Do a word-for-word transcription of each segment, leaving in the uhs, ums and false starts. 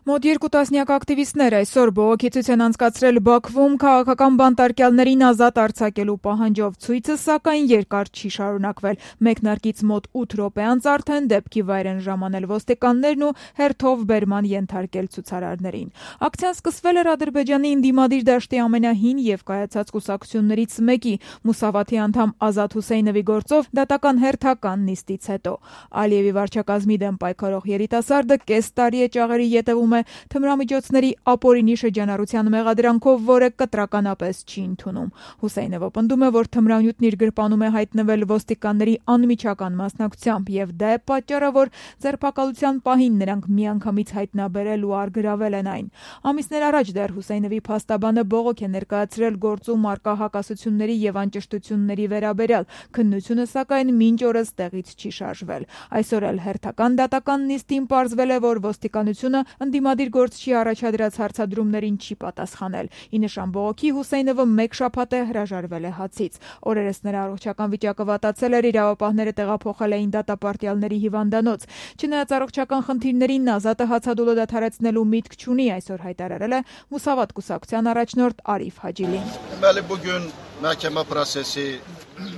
Մոտ երկու տասնյակ ակտիվիստներ այսօր բողոքի ցույց են անցկացրել Բաքվում քաղաքական բանտարկյալներին ազատ արձակելու պահանջով։ Ցույցը, սակայն, երկար չի շարունակվել։ Մեկնարկից մոտ ութ րոպե անց արդեն դեպքի վայր են ժամանել ոստիկաններն ու հերթով բերման ենթարկել ցուցարարներին։ Ակցիան սկսվել էր Ադրբեջանի ընդդիմադիր դաշտի ամենահին եւ կայացած կուսակցություններից մեկի՝ Մուսավաթի անդամ Ազատ Հուսեյնովի գործով դատական հերթական նիստից հետո։ Ալիևի վարչակազմի դեմ պայքարող երիտասարդը կես տարի է ճաղերի ետևում թմրամիջոցների ապօրինի շրջանառության մեղադրանքով, որը կտրականապես չի ընդունում։ Հուսեյնովը պնդում է, որ թմրանյութն իր գրպանում է հայտնվել ոստիկանների անմիջական մասնակցությամբ, եւ դա է պատճառը, որ ձերբակալության պահին նրանք միանգամից հայտնաբերել ու առգրավել են այն։ Ամիսներ առաջ դեռ Հուսեյնովի փաստաբանը բողոք է ներկայացրել գործում առկա հակասությունների եւ անճշտությունների վերաբերյալ։ Քննությունը, սակայն, մինչ օրս տեղից չի շարժվել։ Այսօր էլ հերթական դատական նիստին պարզվել է, որ ոստիկանությունը ընդդիմադիր գործչի առաջադրած հարցադրումներին չի պատասխանել։ Ի նշան բողոքի Հուսեյնովը մեկ շաբաթ է հրաժարվել է հացից։ Օրերս նրա առողջական վիճակը վատացել էր, իրավապահները տեղափոխել էին դատապարտյալների հիվանդանոց։ Չնայած առողջական խնդիրներին, Ազատը հացադուլը դադարեցնելու միտք չունի, այսօր հայտարարել է Մուսավաթ կուսակցության առաջնորդ Արիֆ Հաջիլին։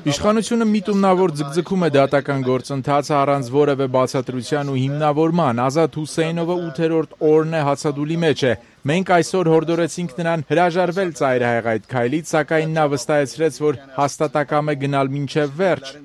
Իշխանությունը միտումնավոր ձգձգում է դատական գործընթացը առանց որևէ բացատրության ու հիմնավորման։ Ազատ Հուսեյնովը ութերորդ օրն է հացադուլի մեջ է։ Մենք այսօր հորդորեցինք նրան հրաժարվել ծայրահեղ այդ քայլից, սակայն նա վստահեցրեց, որ հաստատակամ է գնալ մինչև վերջ։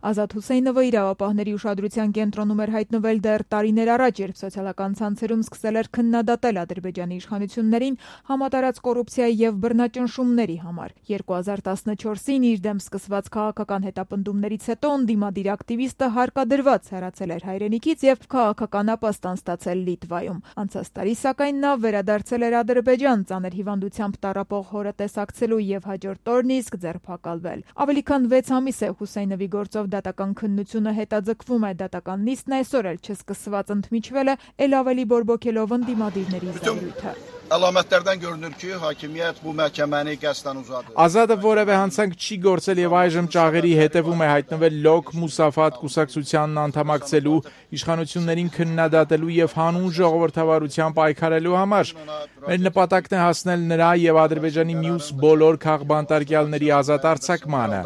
Ազատ Հուսեյնովը իրավապահների ուշադրության կենտրոնում էր հայտնվել դեռ տարիներ առաջ, երբ սոցիալական ցանցերում սկսել էր քննադատել Ադրբեջանի իշխանություններին համատարած կոռուպցիայի եւ բռնաճնշումների համար։ երկու հազար տասնչորսին իր դեմ սկսված քաղաքական հետապնդումներից հետո ընդդիմադիր ակտիվիստը հարկադրված հեռացել էր հայրենիքից եւ քաղաքական ապաստան ստացել Լիտվայում։ Անցած տարի, սակայն, նա վերադարձել էր Ադրբեջան ծանր հիվանդությամբ տառապող հորը տեսակցելու եւ հաջորդ օրն իսկ ձերբակալվել։ Ավելի քան վեց ամիս է Հուսեյնովի գործով դատական քննությունը հետաձգվում է։ Դատական նիստն այսօր էլ չսկսված ընդմիջվել է, ել ավելի բորբոքելով ընդդիմադիրների զայրույթը։ Ազատը որևէ հանցանք չի գործել եւ այժմ ճաղերի հետևում է, հայտնվել Լոկ Մուսավաթ կուսակցությանն անդամակցելու, իշխանություններին քննադատելու եւ հանուն ժողովրդավարության պայքարելու համար։ Մեր նպատակն է հասնել նրա եւ Ադրբեջանի մյուս բոլոր քաղբանտարկյալների ազատ արձակմանը։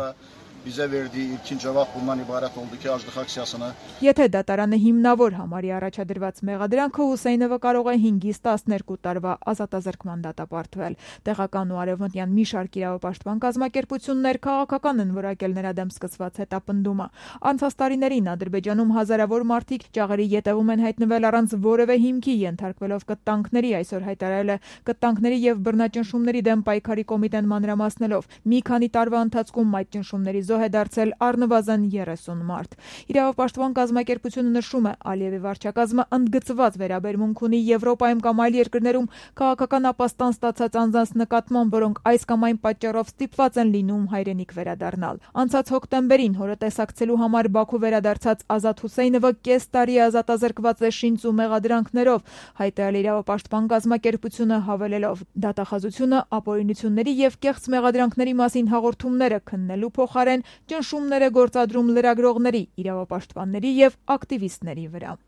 Եթե դատարանը հիմնավոր համարի առաջադրված մեղադրանքը, Հուսեյնովը կարող է հինգից տասներկու տարվա ազատազրկման դատապարտվել։ Տեղական ու արևմտյան մի շարք իրավապաշտպան կազմակերպություններ քաղաքական են որակել նրա դեմ սկսված հետապնդումը։ Անցած տարիներին Ադրբեջանում հազարավոր մարդիկ ճաղերի ետևում են հայտնվել առանց որևէ հիմքի, ենթարկվելով կտանքների, այսօր հայտարարել է կտանքների եւ բռնաճնշումների դեմ պայքարի կոմիտեն մանրամասնելով։ Մի քանի տարվա ընթացքում այդ ճնշումների զոհ է դարձել առնվազն երեսուն մարդ։ Իրավապաշտպան կազմակերպությունը նշում է, Ալիևի վարչակազմը ընդգծված վերաբերմունք ունի Եվրոպայում կամ այլ երկրներում քաղաքական ապաստան ստացած անձանց նկատմամբ, որոնք այս կամ այն պատճառով ստիպված են լինում հայրենիք վերադառնալ։ Անցած հոկտեմբերին հորը տեսակցելու համար Բաքու վերադարձած Ազատ Հուսեյնովը կես տարի ազատազրկված է շինծ ու մեղադրանքներով, հայտարարել իրավապաշտպան կազմակերպությունը, հավելելով. դատախազությունը ապօրինությունների եւ կեղծ մեղադրանքների մասին հաղորդումները քննելու փոխարեն ճնշումներ է գործադրում լրագրողների, իրավապաշտպանների եւ ակտիվիստների վրա։